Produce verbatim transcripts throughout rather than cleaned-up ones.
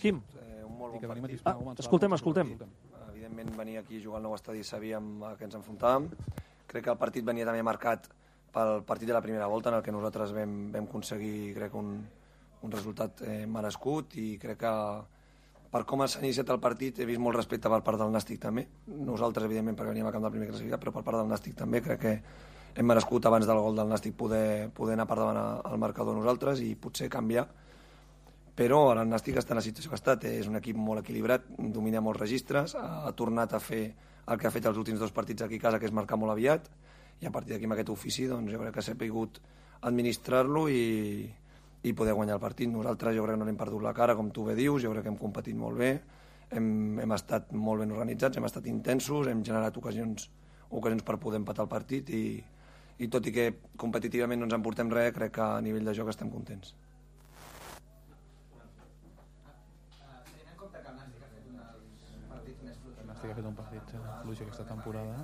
Quim? Eh, un molt bon partit. Ah, escoltem, escoltem. Evidentment, venir aquí a jugar al nou estadi sabíem a què ens enfrontàvem. Crec que el partit venia també marcat pel partit de la primera volta, en el que nosaltres vam, vam aconseguir, crec, un, un resultat eh, merescut, i crec que per com s'ha iniciat el partit he vist molt respecte per part del Nàstic també. Nosaltres, evidentment, perquè veníem a camp del primer classificat, però per part del Nàstic també crec que hem merescut abans del gol del Nàstic poder, poder anar per davant al marcador nosaltres i potser canviar. Però ara el Nàstic està en la situació que ha estat. És un equip molt equilibrat, domina molts registres, ha tornat a fer el que ha fet els últims dos partits aquí a casa, que és marcar molt aviat, i a partir d'aquí amb aquest ofici doncs, jo crec que s'ha pogut administrar-lo i, i poder guanyar el partit. Nosaltres jo crec que no hem perdut la cara, com tu bé dius, jo crec que hem competit molt bé, hem, hem estat molt ben organitzats, hem estat intensos, hem generat ocasions, ocasions per poder empatar el partit, i, i tot i que competitivament no ens en portem res, crec que a nivell de joc estem contents. Ha fet un partit fluix aquesta temporada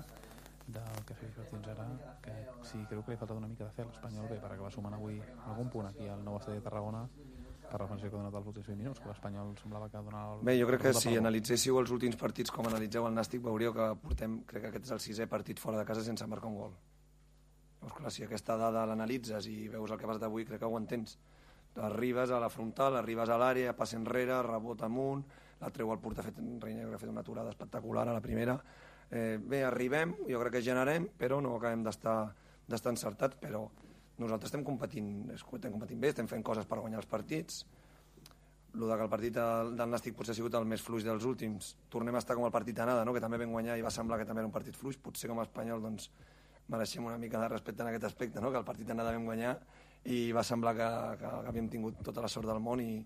del que ha fet fins ara, que sí, creu que li ha faltat una mica de fe a l'Espanyol bé per acabar sumant avui algun punt aquí al nou estadi de Tarragona per la funció que ha donat els últims vint minuts, que l'Espanyol semblava que donava... El... Bé, jo crec que si analitzéssiu els últims partits com analitzeu el Nàstic, veuríeu que portem, crec que aquest és el sisè partit fora de casa sense marcar un gol. Llavors, clar, si aquesta dada l'analitzes i veus el que vas d'avui, crec que ho entens. Arribes a la frontal, arribes a l'àrea, passa enrere, rebot amunt, la treu al porter, ha fet, ha fet una aturada espectacular a la primera. Eh, bé, arribem, jo crec que generem, però no acabem d'estar d'estar encertats, però nosaltres estem competint, estem competint bé, estem fent coses per guanyar els partits. El que el partit del, del Nàstic potser ha sigut el més fluix dels últims. Tornem a estar com el partit d'anada, no? Que també vam guanyar i va semblar que també era un partit fluix. Potser com a espanyol doncs, mereixem una mica de respecte en aquest aspecte, no? Que el partit d'anada vam guanyar i va semblar que, que, que havíem tingut tota la sort del món, i,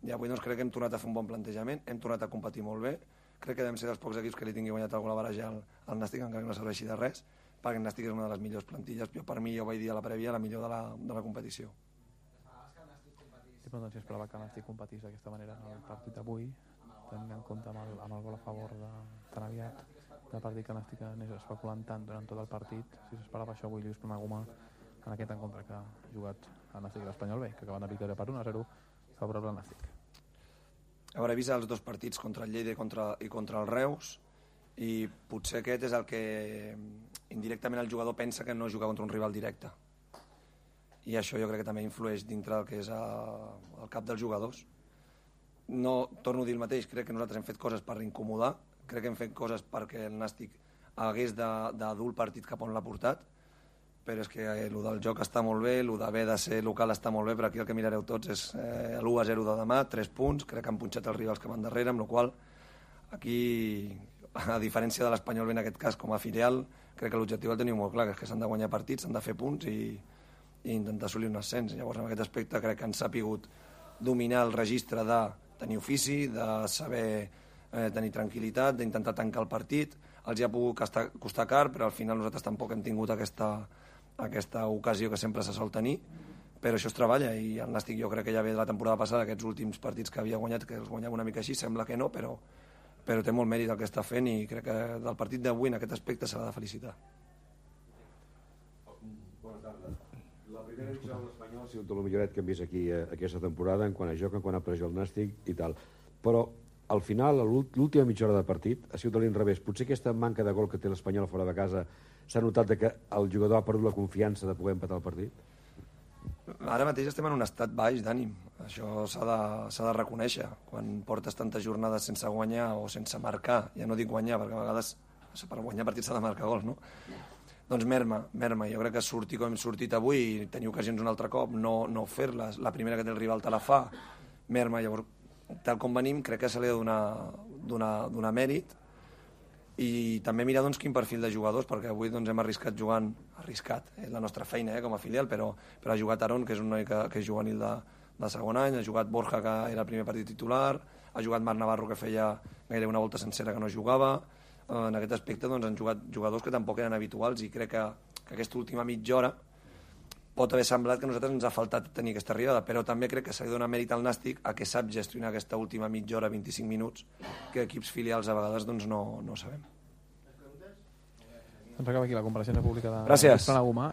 i avui doncs, crec que hem tornat a fer un bon plantejament, hem tornat a competir molt bé. Crec que devem ser dels pocs equips que li tingui guanyat algú la baraja al, al Nàstic, encara que no serveixi de res, perquè el Nàstic és una de les millors plantilles. Jo, per mi, ja ho vaig dir a la prèvia, la millor de la, de la competició. Sí, però doncs si esperava que el Nàstic competís d'aquesta manera en el partit d'avui, tenint en compte amb el, amb el gol a favor de, tan aviat del partit que el Nàstic anés especulant tant durant tot el partit, si s'esperava això avui Lluís Planagumà en aquest encontre que ha jugat el Nàstic i l'Espanyol bé, que acaben de victòria per un a zero favorable al Nàstic. A veure, he vist els dos partits contra el Lleida i contra, i contra el Reus, i potser aquest és el que indirectament el jugador pensa que no juga contra un rival directe. I això jo crec que també influeix dintre del que és el, el cap dels jugadors. No torno a dir el mateix, crec que nosaltres hem fet coses per incomodar, crec que hem fet coses perquè el Nàstic hagués de, de dur el partit cap on l'ha portat, però és que el del joc està molt bé, el d'haver de ser local està molt bé, però aquí el que mirareu tots és eh, l'u a zero de demà, tres punts, crec que han punxat els rivals que van darrere, amb la qual aquí, a diferència de l'Espanyol en aquest cas com a filial, crec que l'objectiu el teniu molt clar, que és que s'han de guanyar partits, s'han de fer punts i, i intentar assolir un ascens. Llavors, en aquest aspecte crec que han sapigut dominar el registre de tenir ofici, de saber eh, tenir tranquil·litat, d'intentar tancar el partit. Els hi ha pogut costar, costar car, però al final nosaltres tampoc hem tingut aquesta aquesta ocasió que sempre se sol tenir, però això es treballa, i el Nàstic jo crec que ja ve de la temporada passada, aquests últims partits que havia guanyat, que els guanyava una mica així, sembla que no, però, però té molt mèrit el que està fent, i crec que del partit d'avui en aquest aspecte s'ha de felicitar. Bona tarda. La primera divisió de l'Espanyol ha sigut el milloret que hem vist aquí eh, aquesta temporada, en quant a joc, en quant a pressió al Nàstic i tal, però al final, l'última mitja hora de partit ha sigut a l'inrevés. Potser aquesta manca de gol que té l'Espanyol fora de casa s'ha notat que el jugador ha perdut la confiança de poder empatar el partit? Ara mateix estem en un estat baix d'ànim. Això s'ha de, s'ha de reconèixer. Quan portes tantes jornades sense guanyar o sense marcar, ja no dic guanyar, perquè a vegades per guanyar partits s'ha de marcar gols, no? Doncs merma, merma. Jo crec que sortir com hem sortit avui i tenir ocasions un altre cop, no, no fer-les, la primera que té el rival te la fa, merma. Llavors, tal com venim, crec que se li ha de donar, donar, donar mèrit, i també mirar doncs, quin perfil de jugadors, perquè avui doncs, hem arriscat jugant, arriscat, és la nostra feina eh, com a filial, però, però ha jugat Aron, que és un noi que, que és juvenil de, de segon any, ha jugat Borja, que era el primer partit titular, ha jugat Marc Navarro, que feia gairebé una volta sencera que no jugava. En aquest aspecte doncs, han jugat jugadors que tampoc eren habituals, i crec que, que aquesta última mitja hora pot haver semblat que a nosaltres ens ha faltat tenir aquesta arribada, però també crec que s'ha de donar mèrit al Nàstic a que sap gestionar aquesta última mitja hora, vint-i-cinc minuts, que equips filials a vegades doncs, no, no sabem. Doncs acaba aquí la compareixença pública de Gràcies. Planagumà.